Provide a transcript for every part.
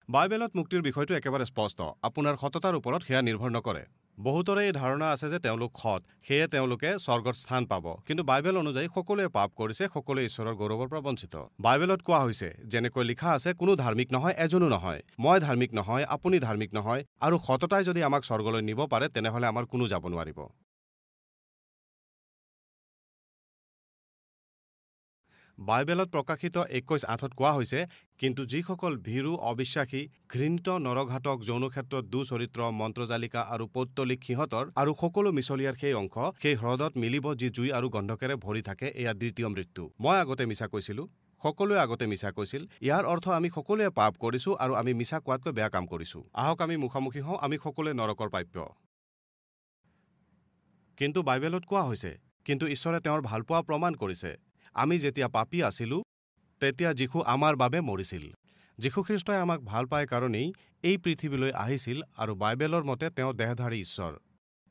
বাইবেলত মুক্তিৰ বিষয়টো একেবাৰে স্পষ্ট। আপোনাৰ সততাৰ ওপৰত সেয়া নিৰ্ভৰ নকৰে। বহুতৰে এই ধাৰণা আছে যে তেওঁলোক সৎ, সেয়ে তেওঁলোকে স্বৰ্গত স্থান পাব। কিন্তু বাইবেল অনুযায়ী সকলোৱে পাপ কৰিছে, সকলোৱে ঈশ্বৰৰ গৌৰৱৰ পৰা বঞ্চিত। বাইবেলত কোৱা হৈছে, যেনেকৈ লিখা আছে, কোনো ধাৰ্মিক নহয়, এজনো নহয়। মই ধাৰ্মিক নহয়, আপুনি ধাৰ্মিক নহয়, আৰু সততাই যদি আমাক স্বৰ্গলৈ নিব পাৰে তেনেহ'লে আমাৰ কোনো যাব নোৱাৰিব। বাইবেলত প্ৰকাশিত 21:8 কোৱা হৈছে, কিন্তু যিসকল ভীৰু, অবিশ্বাসী, ঘৃণিত, নৰঘাতক, যৌন ক্ষেত্ৰত দুচৰিত্ৰ, মন্ত্ৰজালিকা আৰু পৌত্তলিক সিহঁতৰ আৰু সকলো মিছলীয়াৰ সেই অংশ সেই হ্ৰদত মিলিব যি জুই আৰু গন্ধকেৰে ভৰি থাকে, এয়া দ্বিতীয় মৃত্যু। মই আগতে মিছা কৈছিলোঁ, সকলোৱে আগতে মিছা কৈছিল। ইয়াৰ অৰ্থ আমি সকলোৱে পাপ কৰিছোঁ আৰু আমি মিছা কোৱাতকৈ বেয়া কাম কৰিছোঁ। আহক আমি মুখামুখি হওঁ, আমি সকলোৱে নৰকৰ প্ৰাপ্য। কিন্তু বাইবেলত কোৱা হৈছে, কিন্তু ঈশ্বৰে তেওঁৰ ভালপোৱা প্ৰমাণ কৰিছে। আমি যেতিয়া পাপী আছিলোঁ তেতিয়া যীশু আমাৰ বাবে মৰিছিল। যীশুখ্ৰীষ্টই আমাক ভাল পায় কাৰণেই এই পৃথিৱীলৈ আহিছিল আৰু বাইবেলৰ মতে তেওঁ দেহধাৰী ঈশ্বৰ।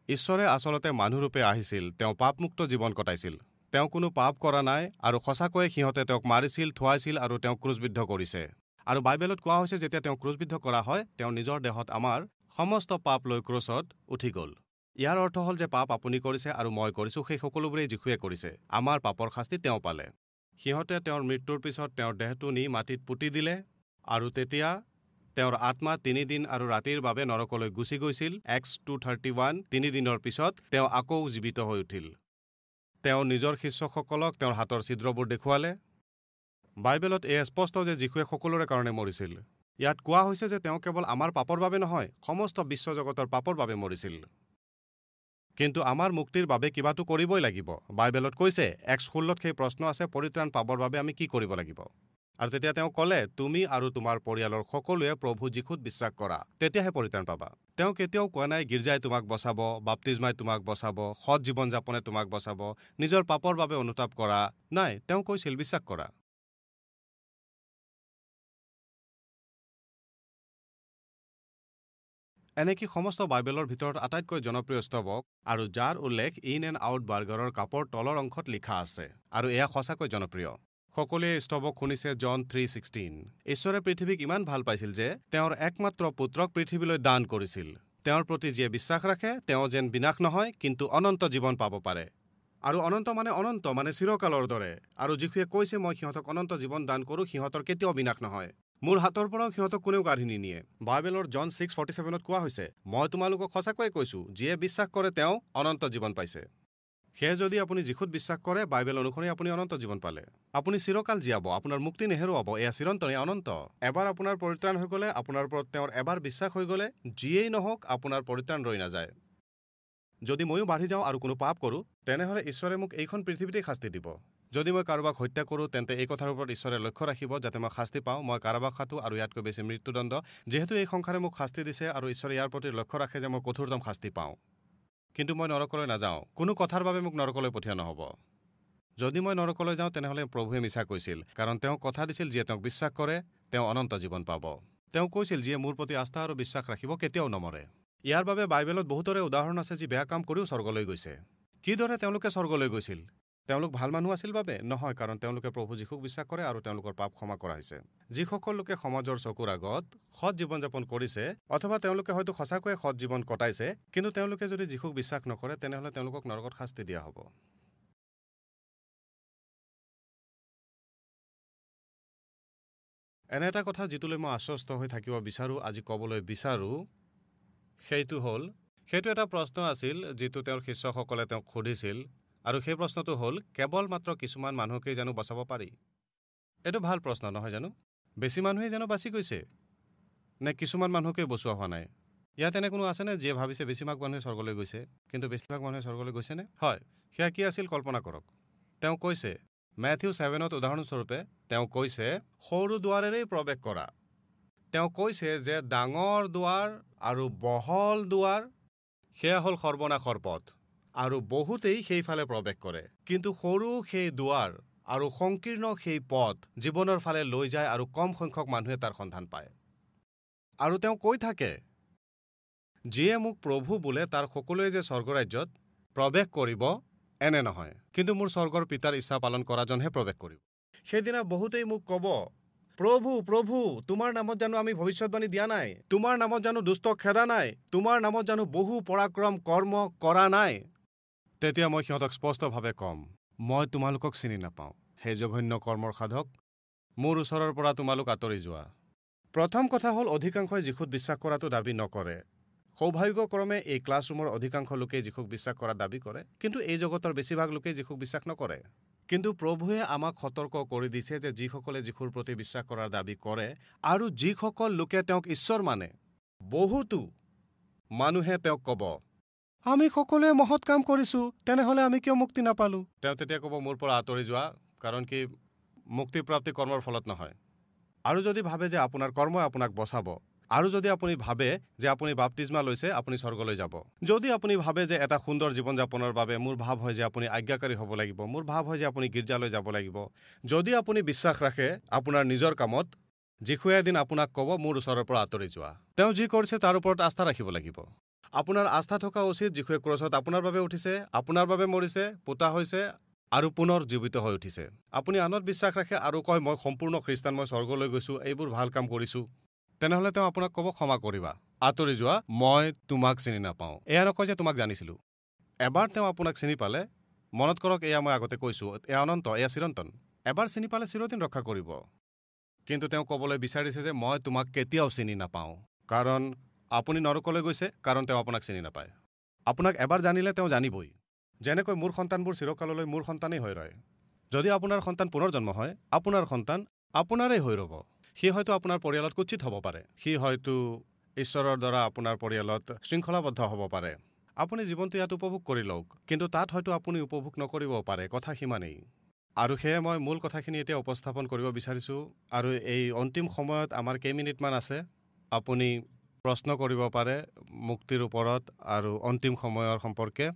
ঈশ্বৰে আচলতে মানুহৰূপে আহিছিল, তেওঁ পাপমুক্ত জীৱন কটাইছিল, তেওঁ কোনো পাপ কৰা নাই, আৰু সঁচাকৈয়ে সিহঁতে তেওঁক মাৰিছিল, থুৱাইছিল আৰু তেওঁক ক্ৰুচবিদ্ধ কৰিছে। আৰু বাইবেলত কোৱা হৈছে, যেতিয়া তেওঁক ক্ৰুচবিদ্ধ কৰা হয়, তেওঁ নিজৰ দেহত আমাৰ সমস্ত পাপ লৈ ক্ৰুচত উঠি গ'ল। ইয়াৰ অৰ্থ হ'ল যে পাপ আপুনি কৰিছে আৰু মই কৰিছোঁ, সেই সকলোবোৰেই যীশুৱে কৰিছে। আমাৰ পাপৰ শাস্তি তেওঁ পালে। সিহঁতে তেওঁৰ মৃত্যুৰ পিছত তেওঁৰ দেহটো নি মাটিত পুতি দিলে আৰু তেতিয়া তেওঁৰ আত্মা 3 দিন আৰু ৰাতিৰ বাবে নৰকলৈ গুচি গৈছিল। এক্স 2:31। 3 দিনৰ পিছত তেওঁ আকৌ জীৱিত হৈ উঠিল। তেওঁ নিজৰ শিষ্যসকলক তেওঁৰ হাতৰ ছিদ্ৰবোৰ দেখুৱালে। বাইবেলত এয়া স্পষ্ট যে যীশুৱে সকলোৰে কাৰণে মৰিছিল। ইয়াত কোৱা হৈছে যে তেওঁ কেৱল আমাৰ পাপৰ বাবে নহয়, সমস্ত বিশ্বজগতৰ পাপৰ বাবে মৰিছিল। কিন্তু আমাৰ মুক্তিৰ বাবে কিবাটো কৰিবই লাগিব। বাইবেলত কৈছে, 1:16 সেই প্ৰশ্ন আছে, পৰিত্ৰাণ পাবৰ বাবে আমি কি কৰিব লাগিব? আৰু তেতিয়া তেওঁ ক'লে, তুমি আৰু তোমাৰ পৰিয়ালৰ সকলোৱে প্ৰভু যীশুত বিশ্বাস কৰা, তেতিয়াহে পৰিত্ৰাণ পাবা। তেওঁ কেতিয়াও কোৱা নাই গীৰ্জাই তোমাক বচাব, বাপ্তিজমাই তোমাক বচাব, সৎ জীৱন যাপনে তোমাক বচাব, নিজৰ পাপৰ বাবে অনুতাপ কৰা। নাই, তেওঁ কৈছিল বিশ্বাস কৰা। এনেকি সমস্ত বাইবেলৰ ভিতৰত আটাইতকৈ জনপ্ৰিয় স্তৱক আৰু যাৰ উল্লেখ ইন এণ্ড আউট বাৰ্গাৰৰ কাপৰ তলৰ অংশত লিখা আছে, আৰু এয়া সঁচাকৈ জনপ্ৰিয়। সকলোৱে স্তৱক শুনিছে, জন 3:16। ঈশ্বৰে পৃথিৱীক ইমান ভাল পাইছিল যে তেওঁৰ একমাত্ৰ পুত্ৰক পৃথিৱীলৈ দান কৰিছিল। তেওঁৰ প্ৰতি যিয়ে বিশ্বাস ৰাখে তেওঁ যেন বিনাশ নহয়, কিন্তু অনন্ত জীৱন পাব পাৰে। আৰু অনন্ত মানে অনন্ত, মানে চিৰকালৰ দৰে। আৰু যীশুৱে কৈছে, মই সিহঁতক অনন্ত জীৱন দান কৰোঁ, সিহঁতৰ কেতিয়াও বিনাশ নহয়, মোৰ হাতৰ পৰাও সিহঁতক কোনেও কাঢ়ি নিনিয়ে। বাইবেলৰ জন 6:47 কোৱা হৈছে, মই তোমালোকক সঁচাকৈয়ে কৈছোঁ, যিয়ে বিশ্বাস কৰে তেওঁ অনন্ত জীৱন পাইছে। সেয়ে যদি আপুনি যীশুত বিশ্বাস কৰে, বাইবেল অনুসৰি আপুনি অনন্ত জীৱন পালে। আপুনি চিৰকাল জীয়াব, আপোনাৰ মুক্তি নেহেৰুৱাব। এয়া চিৰন্তন, এয়া অনন্ত। এবাৰ আপোনাৰ পৰিত্ৰাণ হৈ গ'লে, আপোনাৰ ওপৰত তেওঁৰ এবাৰ বিশ্বাস হৈ গ'লে, যিয়েই নহওক আপোনাৰ পৰিত্ৰাণ ৰৈ নাযায়। যদি ময়ো বাঢ়ি যাওঁ আৰু কোনো পাপ কৰোঁ, তেনেহ'লে ঈশ্বৰে মোক এইখন পৃথিৱীতেই শাস্তি দিব। যদি মই কাৰোবাক হত্যা কৰোঁ, তেন্তে এই কথাৰ ওপৰত ঈশ্বৰে লক্ষ্য ৰাখিব যাতে মই শাস্তি পাওঁ। মই কাৰাবাস খাটো আৰু ইয়াতকৈ বেছি মৃত্যুদণ্ড, যিহেতু এই সংসাৰে মোক শাস্তি দিছে আৰু ঈশ্বৰে ইয়াৰ প্ৰতি লক্ষ্য ৰাখে যে মই কঠোৰতম শাস্তি পাওঁ। কিন্তু মই নৰকলৈ নাযাওঁ, কোনো কথাৰ বাবে মোক নৰকলৈ পঠিওৱা নহ'ব। যদি মই নৰকলৈ যাওঁ, তেনেহ'লে প্ৰভুৱে মিছা কৈছিল, কাৰণ তেওঁ কথা দিছিল যিয়ে তেওঁক বিশ্বাস কৰে তেওঁ অনন্ত জীৱন পাব। তেওঁ কৈছিল, যিয়ে মোৰ প্ৰতি আস্থা আৰু বিশ্বাস ৰাখিব কেতিয়াও নমৰে। ইয়াৰ বাবে বাইবেলত বহুতৰে উদাহৰণ আছে যি বেয়া কাম কৰিও স্বৰ্গলৈ গৈছে। কিদৰে তেওঁলোকে স্বৰ্গলৈ গৈছিল? তেওঁলোক ভাল মানুহ আছিল বাবে নহয়, কাৰণ তেওঁলোকে প্ৰভু যীশুক বিশ্বাস কৰে আৰু তেওঁলোকৰ পাপ ক্ষমা কৰা হৈছে। যিসকল লোকে সমাজৰ চকুৰ আগত সৎ জীৱন যাপন কৰিছে, অথবা তেওঁলোকে হয়তো সঁচাকৈয়ে সৎ জীৱন কটাইছে, কিন্তু তেওঁলোকে যদি যীশুক বিশ্বাস নকৰে, তেনেহ'লে তেওঁলোকক নৰকত শাস্তি দিয়া হ'ব। এনে এটা কথা যিটোলৈ মই আশ্বস্ত হৈ থাকিব বিচাৰোঁ, আজি ক'বলৈ বিচাৰোঁ, সেইটো হ'ল, সেইটো এটা প্ৰশ্ন আছিল যিটো তেওঁৰ শিষ্যসকলে তেওঁক সুধিছিল, আৰু সেই প্ৰশ্নটো হ'ল, কেৱল মাত্ৰ কিছুমান মানুহকেই জানো বচাব পাৰি? এইটো ভাল প্ৰশ্ন নহয় জানো? বেছি মানুহেই জানো বাচি গৈছে, নে কিছুমান মানুহকেই বচোৱা হোৱা নাই? ইয়াত এনে কোনো আছেনে যিয়ে ভাবিছে বেছিভাগ মানুহে স্বৰ্গলৈ গৈছে, কিন্তু বেছিভাগ মানুহে স্বৰ্গলৈ গৈছেনে? হয়, সেয়া কি আছিল কল্পনা কৰক। তেওঁ কৈছে, মেথিউ 7 উদাহৰণস্বৰূপে তেওঁ কৈছে, সৰু দুৱাৰেৰেই প্ৰৱেশ কৰা। তেওঁ কৈছে যে ডাঙৰ দুৱাৰ আৰু বহল দুৱাৰ, সেয়া হ'ল সৰ্বনাশৰ পথ, আৰু বহুতেই সেইফালে প্ৰৱেশ কৰে। কিন্তু সৰু সেই দুৱাৰ আৰু সংকীৰ্ণ সেই পথ জীৱনৰ ফালে লৈ যায় আৰু কম সংখ্যক মানুহে তাৰ সন্ধান পায়। আৰু তেওঁ কৈ থাকে, যিয়ে মোক প্ৰভু বোলে তাৰ সকলোৱে যে স্বৰ্গৰাজ্যত প্ৰৱেশ কৰিব এনে নহয়, কিন্তু মোৰ স্বৰ্গৰ পিতাৰ ইচ্ছা পালন কৰাজনহে প্ৰৱেশ কৰিব। সেইদিনা বহুতেই মোক ক'ব, প্ৰভু প্ৰভু, তোমাৰ নামত জানো আমি ভৱিষ্যতবাণী দিয়া নাই? তোমাৰ নামত জানো দুষ্টক খেদা নাই? তোমাৰ নামত জানো বহু পৰাক্ৰম কৰ্ম কৰা নাই? তেতিয়া মই সিহঁতক স্পষ্টভাৱে ক'ম, মই তোমালোকক চিনি নাপাওঁ। হে জঘন্য কৰ্মৰ সাধক, মোৰ ওচৰৰ পৰা তোমালোক আঁতৰি যোৱা। প্ৰথম কথা হ'ল, অধিকাংশই যীশুত বিশ্বাস কৰাটো দাবী নকৰে। সৌভাগ্যক্ৰমে এই ক্লাছৰুমৰ অধিকাংশ লোকেই যীশুক বিশ্বাস কৰাৰ দাবী কৰে, কিন্তু এই জগতৰ বেছিভাগ লোকেই যীশুক বিশ্বাস নকৰে। কিন্তু প্ৰভুৱে আমাক সতৰ্ক কৰি দিছে যে যিসকলে যীশুৰ প্ৰতি বিশ্বাস কৰাৰ দাবী কৰে আৰু যিসকল লোকে তেওঁক ঈশ্বৰ মানে, বহুতো মানুহে তেওঁক ক'ব, আমি সকলোৱে মহৎ কাম কৰিছোঁ, তেনেহ'লে আমি কিয় মুক্তি নাপালোঁ? তেওঁ তেতিয়া ক'ব, মোৰ পৰা আঁতৰি যোৱা, কাৰণ কি মুক্তিপ্ৰাপ্তি কৰ্মৰ ফলত নহয়। আৰু যদি ভাবে যে আপোনাৰ কৰ্মই আপোনাক বচাব, আৰু যদি আপুনি ভাবে যে আপুনি বাপ্তিস্মা লৈছে আপুনি স্বৰ্গলৈ যাব, যদি আপুনি ভাবে যে এটা সুন্দৰ জীৱন যাপনৰ বাবে মোৰ ভাৱ হয় যে আপুনি আজ্ঞাকাৰী হ'ব লাগিব, মোৰ ভাৱ হয় যে আপুনি গীৰ্জালৈ যাব লাগিব, যদি আপুনি বিশ্বাস ৰাখে আপোনাৰ নিজৰ কামত, যীশুৱে এদিন আপোনাক ক'ব, মোৰ ওচৰৰ পৰা আঁতৰি যোৱা। তেওঁ যি কৰিছে তাৰ ওপৰত আস্থা ৰাখিব লাগিব। আপোনাৰ আস্থা থকা উচিত যীশুৱে ক্ৰছত আপোনাৰ বাবে উঠিছে, আপোনাৰ বাবে মৰিছে, পোতা হৈছে আৰু পুনৰ জীৱিত হৈ উঠিছে। আপুনি আনত বিশ্বাস ৰাখে আৰু কয়, মই সম্পূৰ্ণ খ্ৰীষ্টান, মই স্বৰ্গলৈ গৈছোঁ, এইবোৰ ভাল কাম কৰিছোঁ, তেনেহ'লে তেওঁ আপোনাক ক'ব, ক্ষমা কৰিবা, আঁতৰি যোৱা, মই তোমাক চিনি নাপাওঁ। এয়া নকয় যে তোমাক জানিছিলোঁ। এবাৰ তেওঁ আপোনাক চিনি পালে, মনত কৰক, এয়া মই আগতে কৈছোঁ, এয়া অনন্ত, এয়া চিৰন্তন। এবাৰ চিনি পালে চিৰদিন ৰক্ষা কৰিব। কিন্তু তেওঁ ক'বলৈ বিচাৰিছে যে মই তোমাক কেতিয়াও চিনি নাপাওঁ, কাৰণ আপুনি নৰকলৈ গৈছে, কাৰণ তেওঁ আপোনাক চিনি নাপায়। আপোনাক এবাৰ জানিলে তেওঁ জানিবই। যেনেকৈ মোৰ সন্তানবোৰ চিৰকাললৈ মোৰ সন্তানেই হৈ ৰয়। যদি আপোনাৰ সন্তান পুনৰ্জন্ম হয়, আপোনাৰ সন্তান আপোনাৰেই হৈ ৰ'ব। সি হয়তো আপোনাৰ পৰিয়ালত কুৎসিত হ'ব পাৰে, সি হয়তো ঈশ্বৰৰ দ্বাৰা আপোনাৰ পৰিয়ালত শৃংখলাবদ্ধ হ'ব পাৰে। আপুনি জীৱনটো ইয়াত উপভোগ কৰি লওক, কিন্তু তাত হয়তো আপুনি উপভোগ নকৰিব পাৰে। কথা সিমানেই। আৰু সেয়ে মই মূল কথাখিনি এতিয়া উপস্থাপন কৰিব বিচাৰিছোঁ। আৰু এই অন্তিম সময়ত আমাৰ কেইমিনিটমান আছে, আপুনি প্ৰশ্ন কৰিব পাৰে মুক্তিৰ ওপৰত আৰু অন্তিম সময়ৰ সম্পৰ্কে।